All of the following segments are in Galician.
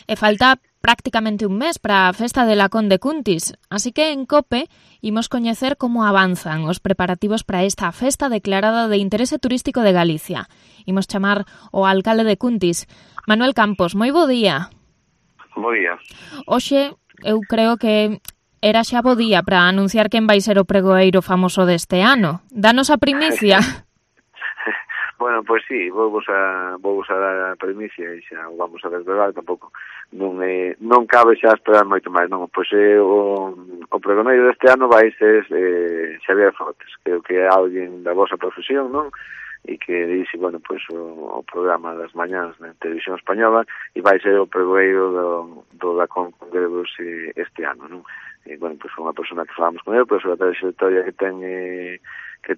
E falta prácticamente un mes para a festa de Lacón de Cuntis, así que en COPE imos coñecer como avanzan os preparativos para esta festa declarada de interese turístico de Galicia. Imos chamar o alcalde de Cuntis, Manuel Campos. Moi bo día. Bo día. Hoxe, eu creo que era xa bo día para anunciar quen vai ser o pregoeiro famoso deste ano. Danos a primicia. Bueno, pois sí, vou a dar a primicia e xa vamos a desvelar, tampouco non cabe xa esperar moito máis, non? Pois o pregoneiro deste ano vai ser Xavier Fortes, creo que é alguén da vosa profesión, non? E que dixe, bueno, pois o programa das mañáns na televisión española e vai ser o pregoeiro do Lacón Congrelos este ano, non? E, bueno, pois foi unha persona que falamos con ele, pois a trayectoria que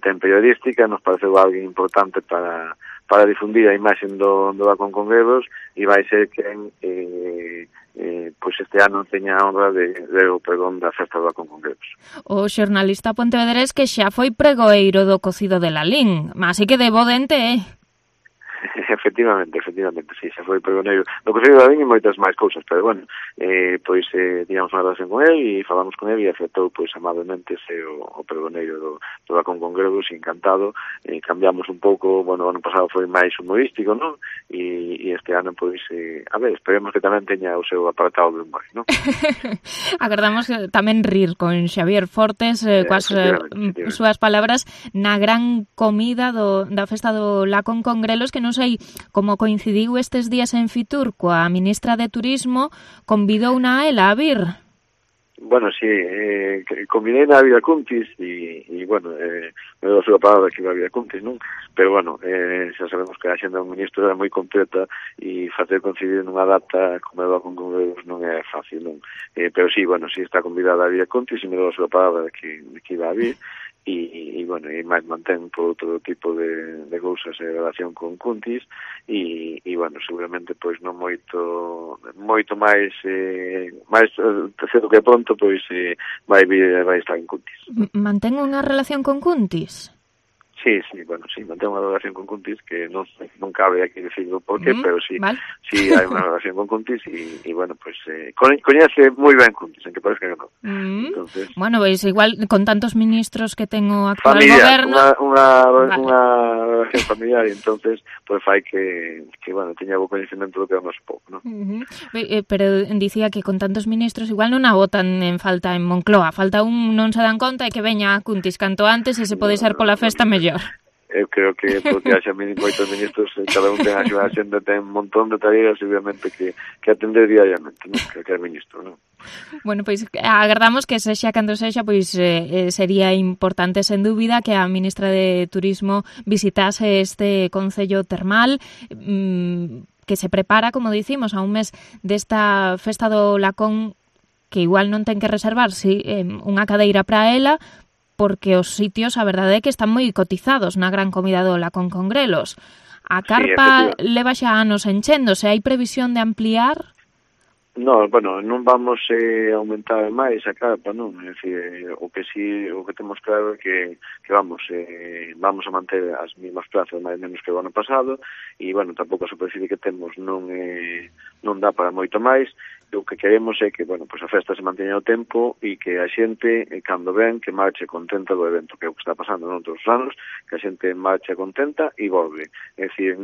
ten periodística, nos pareceu alguén importante para difundir a imaxe do Lacón Congrelos e vai ser quen pois este ano teña a honra de o pregón da festa do Lacón Congrelos. O xornalista pontevedrés que xa foi pregoeiro do cocido de Lalín, así que de bo dente, Efectivamente, sí, xa foi pregoneiro do Concello de Lalín e moitas máis cousas, pero bueno, pois tivemos unha relación con ele e falamos con ele e aceptou pois amablemente ser o pregoneiro do Lacón Congrelos, encantado, cambiamos un pouco, bueno, o ano pasado foi máis humorístico, non? E este ano, pois, a ver, esperemos que tamén teña o seu apartado de humor, non? Agardamos tamén rir con Xavier Fortes, coas súas palabras na gran comida da festa do Lacón Congrelos, que non sei como coincidiu estes días en Fitur coa ministra de Turismo, convidouna a ela a vir. Bueno, sí, combinei na Vida Cuntis e bueno, me dou a súa palabra que iba a Vida Cuntis, non? Pero bueno, xa sabemos que a xenda do ministro era moi completa e facer coincidir nunha data como a con Congresos non é fácil, non? Pero sí, bueno, sí está convidada a Vida Cuntis e me dou a súa palabra de que iba a vir. E bueno, e máis mantén por outro tipo de cousas en relación con Cuntis e bueno, seguramente pois non moito máis cedo que pronto pois vai estar en Cuntis. Mantén unha relación con Cuntis? Sí, bueno, sí, mantén unha relación con Cuntis que non cabe aquí decirlo por qué, pero sí, vale. Sí hai unha relación con Cuntis e bueno, pues coñece moi ben Cuntis, en que parece que non. Entonces, bueno, pois igual con tantos ministros que ten o actual goberno, unha relación familiar, e entonces pues fai que bueno, teña bo coñecemento do que é o noso povo, non? Pero dicía que con tantos ministros igual non a botan en falta en Moncloa, falta un non se dan conta e que veña a Cuntis canto antes e se pode ser pola festa mellor. Eu creo que porque haxa moitos ministros, cada un ten a súa xenda, ten un montón de tareas, obviamente, que atender diariamente, non? Que é ministro, non? Bueno, pois agardamos que sexa cando sexa, pois sería importante, sen dúbida, que a ministra de Turismo visitase este concello termal, que se prepara, como dicimos, a un mes desta festa do Lacón, que igual non ten que reservar unha cadeira para ela, porque os sitios, a verdade é que están moi cotizados na gran comida do Lacón Congrelos. A carpa leva xa anos enchendo, se hai previsión de ampliar? No, bueno, non vamos aumentar máis a carpa, non? É dicir, o que temos claro é que vamos a manter as mesmas plazas máis menos que o ano pasado e, bueno, tampouco a superficie que temos non dá para moito máis. O que queremos é que, bueno, pues a festa se manteña o tempo e que a xente, cando ven, que marche contenta do evento, que é o que está pasando noutros anos, que a xente marche contenta e volve. É dicir,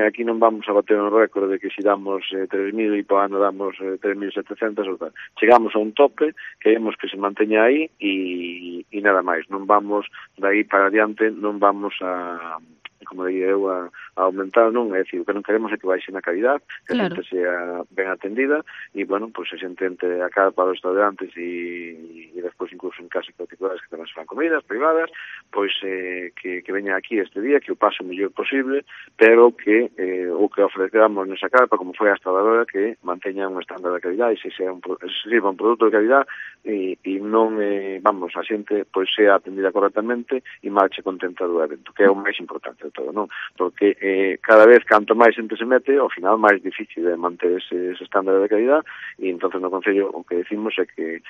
aquí non vamos a bater un récord de que si damos 3.000 e por ano damos 3.700 ou tal. Chegamos a un tope, queremos que se manteña aí e nada máis. Non vamos, dai para adiante, non vamos a como diría eu, a aumentar, non? É dicir, o que non queremos é que baixe na calidad, que a xente sea ben atendida e, bueno, pois a xente entre a cara para os restaurantes e despois incluso en casas particulares que tamén se fan comidas privadas, pois que veña aquí este día, que o pase o mellor posible, pero que o que ofrecemos nesa carpa, como foi hasta agora, que manteña un estándar de calidad e se sirva un produto de calidad e non, vamos, a xente pois sea atendida correctamente e marche contenta do evento, que é o máis importante de todo, non? Porque cada vez canto máis xente se mete, ao final máis difícil de manter ese estándar de calidad, e entonces no Concello o que decimos é que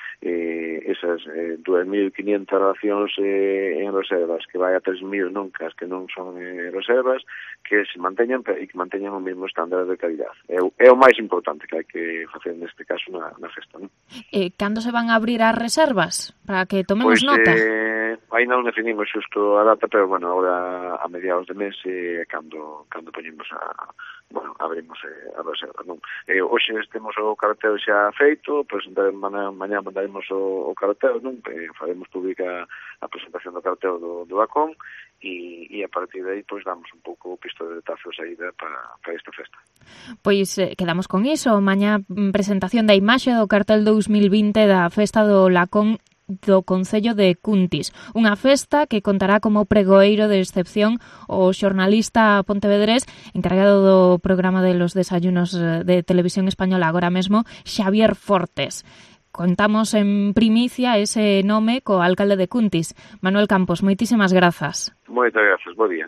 esas 2.500 racións en reservas, que vai a 3.000 nunca, as que non son reservas, que se manteñan e que manteñan o mesmo estándar de calidad. É o máis importante que hai que facer neste caso na festa, non? Cando se van a abrir as reservas? Para que tomemos nota. Aí non definimos xusto a data, pero, bueno, agora a mediados de mes cando poñemos abrimos a reserva, non? Hoxe temos o cartel xa feito, mañá mandaremos o cartel, non? Faremos pública a presentación do cartel do Acón, e a partir de aí pois damos un pouco o pistoletazo de saída para esta festa. Pois quedamos con iso. Mañá presentación da imaxe do cartel 2020 da festa do Lacón do Concello de Cuntis. Unha festa que contará como pregoeiro de excepción o xornalista pontevedrés encargado do programa de los desayunos de Televisión Española agora mesmo, Xavier Fortes. Contamos en primicia ese nome co alcalde de Cuntis, Manuel Campos. Moitísimas grazas. Moitas grazas, bo día.